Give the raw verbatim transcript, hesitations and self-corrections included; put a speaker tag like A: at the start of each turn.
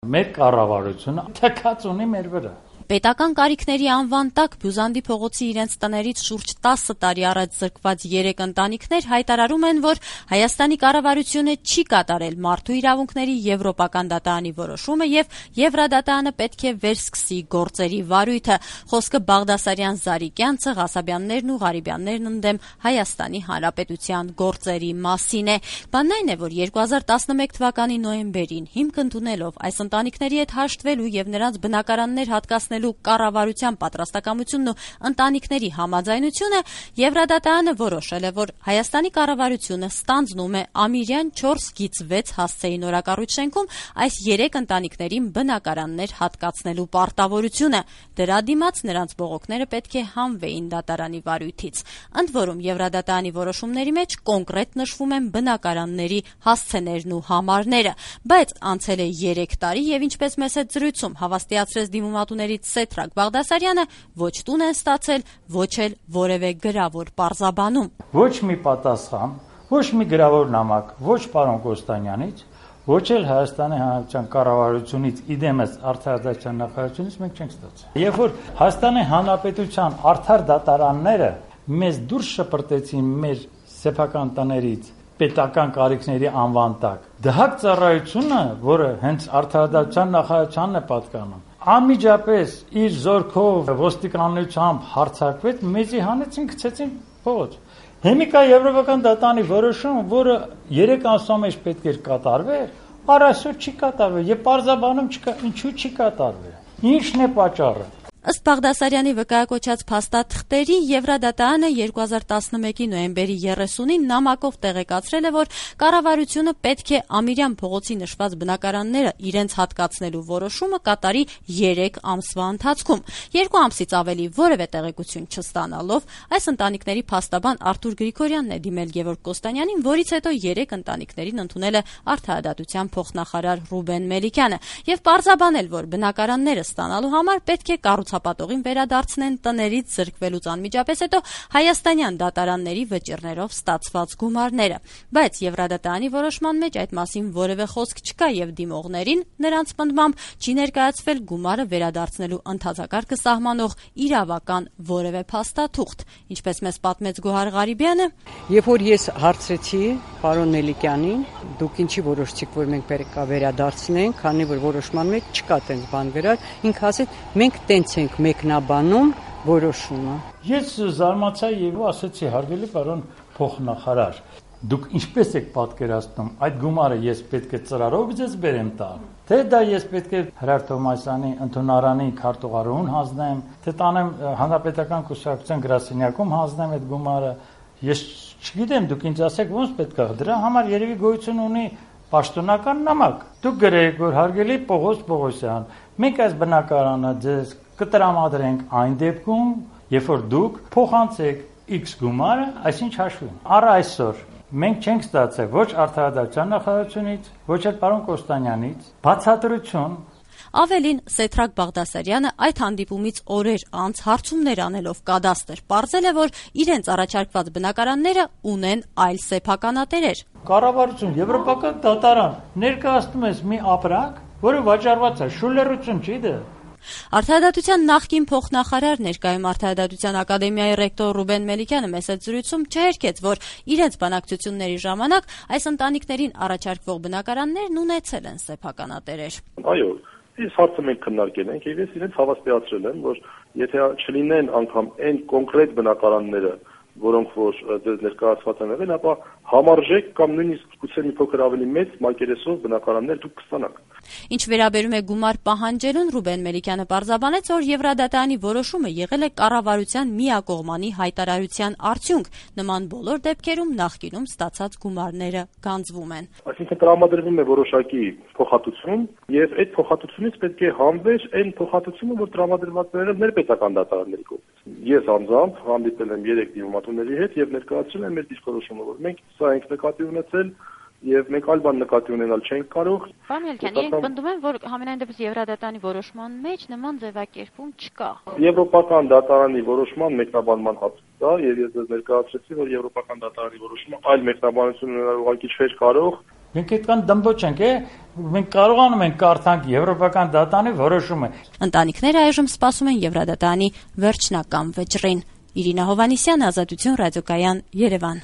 A: Մեր կառավարությունը թքած ունի մեր վրա։
B: Պետական կարիքների անվան տակ Բյուզանդի փողոցի իրենց տներից շուրջ տասը տարի առաջ զրկված երեք ընտանիքներ հայտարարում են, որ Հայաստանի կառավարությունը չի կատարել մարդու իրավունքների եվրոպական դատարանի որոշումը եւ Եվրադատարանը պետք է վերսկսի գործերի վարույթը։ Խոսքը Բաղդասարյան, Զարիկյան, Ղասաբյաններն ու Ղարիբյաններն ընդդեմ Հայաստանի Հանրապետության գործերի մասին է։ Բանն այն է, որ երկու հազար տասնմեկ թվականի նոյեմբերին հիմք ընդունելով այս ընտանիքների հետ հաշտվելու եւ նրանց բնակարաններ հատկացնելու կառավարության պատրաստակամությունն ու ընտանիքների համաձայնությունը, Եվրադատարանը որոշել է, որ Հայաստանի կառավարությունը ստանձնում է ամիրյան չորս գիծ վեց հասցեի նորակառույց շենքում այս երեք ընտանիքներին բնակարաններ հատկացնելու պարտավորությունը։ Դրա դիմաց նրանց բողոքները պետք է հանվեին դատարանի վարույթից։ Ընդ որում Եվրադատարանի որոշումների մեջ կոնկրետ նշվում են բնակարանների հասցեներն ու համարները, բայց անցել է երեք տարի եւ ինչպես մեծ հետ զրույցում հավաստիացրեց դիմումատուներից Սեթրակ Բաղդասարյանը, ոչ տուն են ստացել, ոչ էլ որևէ գրավոր պարզաբանում։
A: Ոչ մի պատասխան, ոչ մի գրավոր նամակ, ոչ պարոն Կոստանյանից, ոչ էլ Հայաստանի Հանրապետության կառավարությունից, իդեմս Արդարադատության նախարարությունից մենք չենք ստացել։ Երբ որ Հայաստանի Հանրապետության արդար դատարանները մեզ դուրս շպրտեցին մեր սեփական տներից պետական կարիքների անվան տակ, դհակ ծառայությունը, որը հենց Արդարադատության նախարարությանն է պատկանում, անմիջապես իր զորքով ոստիկանությամբ հարձակվեց, մեզի հանեցին, գցեցին փողոց։ Հիմիկա Եվրոպական դատարանի որոշումը, որը երեք ամսվա մեջ պետք էր կատարվեր, առ այսօր չի կատարվել եւ պարզաբանում չկա, ինչու չի կատարվել։ Ինչն է պատճառը։
B: Ըստ Բաղդասարյանի վկայակոչած փաստաթղթերի Եվրադատարանը երկու հազար տասնմեկի նոյեմբերի երեսունին նամակով տեղեկացրել է, որ կառավարությունը պետք է Ամիրյան փողոցի նշված բնակարանները իրենց հատկացնելու որոշումը կատարի երեք ամսվա ընթացքում։ Երկու ամսից ավելի որևէ տեղեկություն չստանալով այս ընտանիքների փաստաբան Արթուր Գրիգորյանն է դիմել Գևորգ Կոստանյանին, որից հետո երեք ընտանիքներին ընդունել է Արդարադատության փոխնախարար Ռուբեն Մելիքյանը եւ պարզաբանել, որ բնակարանները ստանալու համար պետք է կառուցապատողին վերադարձնեն տներից զրկվելուց անմիջապես հետո հայաստանյան դատարանների վճիռներով ստացված գումարները, բայց Եվրադատարանի որոշման մեջ այդ մասին որևէ խոսք չկա եւ դիմողներին նրանց պնդմամբ չի ներկայացվել գումարը վերադարձնելու ընթացակարգը սահմանող իրավական որևէ փաստաթուղթ, ինչպես մեզ պատմեց Գոհար Ղարիբյանը։
C: Երբ որ ես հարցրեցի պարոն Մելիքյանին, դուք ինչի որոշեցիք, որ մենք պետք է վերադարձնենք, քանի որ որոշման մեջ չկա տենց բան վերար, ինքը ասեց, մենք տենց ենք մեկնաբանում որոշումը։
A: Ես զարմացա եւ ասացի, հարգելի պարոն փոխնախարար, դուք ինչպես եք պատկերացնում, այդ գումարը ես պետք է ծրարով ձեզ բերեմ տալ, թե դա ես պետք է Հրար Թոմասյանի ընդունարանի քարտուղարուն հանձնեմ, թե տանեմ հանրապետական կուսակցության գրասենյակում հանձնեմ այդ գումարը, ես չգիտեմ, դուք ինձ ասեք ոնց պետք է, դրա համար երևի գոյություն ունի պաշտոնական նամակ։ Դուք գրեք, որ հարգելի Պողոս Պողոսյան, մենք այս բնակարանը ձեզ կտրամադրենք այն դեպքում, երբ որ դուք փոխանցեք X գումարը, այսինչ հաշվին։ Առ այսօր մենք չենք ստացել ոչ Արդարադատության նախարարությունից, ոչ էլ պարոն Կոստանյանից բացատրություն։
B: Ավելին, Սեթրակ Բաղդասարյանը այդ հանդիպումից օրեր անց հարցումներ անելով կադաստր պարզել է, որ իրենց առաջարկված բնակարանները ունեն այլ սեփականատերեր։
A: Կառավարություն, Եվրոպական դատարան ներկայացնում է մի ապրանք, որը վաճառված է, շուլերություն չի դա։
B: Արդարադատության նախկին փոխնախարար, ներկայում Արդարադատության ակադեմիայի ռեկտոր Ռուբեն Մելիքյանը մեծ զրույցում չհերքեց, որ իրենց բանակցությունների ժամանակ այս ընտանիքներին առաջարկվող բնակարաններն ունեցել են սեփականատերեր։
D: Այո, այս հարցը մենք քննարկել ենք եւ ես իրենց հավաստիացրել եմ, որ եթե չլինեն անգամ այն կոնկրետ բնակարանները, որոնք որ դες ներկայացված են եղել, ապա համարժեք կամ նույնիսկ գուցե մի փոքր ավելի մեծ մակերեսով բնակարաններ դուք կստանաք։
B: Ինչ վերաբերում է գումար պահանջելուն, Ռուբեն Մելիքյանը պարզաբանեց, որ Եվրադատարանի որոշումը եղել է կառավարության միակողմանի հայտարարության արդյունք։ Նման բոլոր դեպքերում նախկինում ստացած գումարները գանձվում են։
D: Այսինքն տրամադրվում է որոշակի փոխհատուցում եւ այդ փոխհատուցումից պետք է հանվեր այն փոխհատուցումը, որ տրամադրված է եղել ներպետական դատարանների կողմից։ Ես անձամբ հանդիպել եմ երեք դիմումատուների հետ եւ ներկայացրել եմ մեր դիսկորոշումը, որ մենք սա ենք նկատի ունեցել եւ մենք այլ բան նկատի ունենալ չենք կարող։
B: Պարոն Մելիքյան, իրենք պնդում են, որ համենայն դեպս Եվրադատարանի որոշման մեջ նման ձևակերպում չկա։
D: Եվրոպական դատարանի որոշման մեկնաբանման հատուկ դա եւ ես դες ներկայացրեցի, որ Եվրոպական դատարանի որոշումը այլ մեկնաբանություն ունենալ ուղղակի չէր կարող
A: Մենք այդքան դմբոչ ենք, է, մենք կարողանում ենք կարդանք եվրոպական դատանի որոշումը։
B: Ընտանիքները այժմ սպասում են Եվրադատանի վերջնական վճռին։ Իրինա Հովհաննիսյան, Ազատություն ռադիոկայան, Երևան։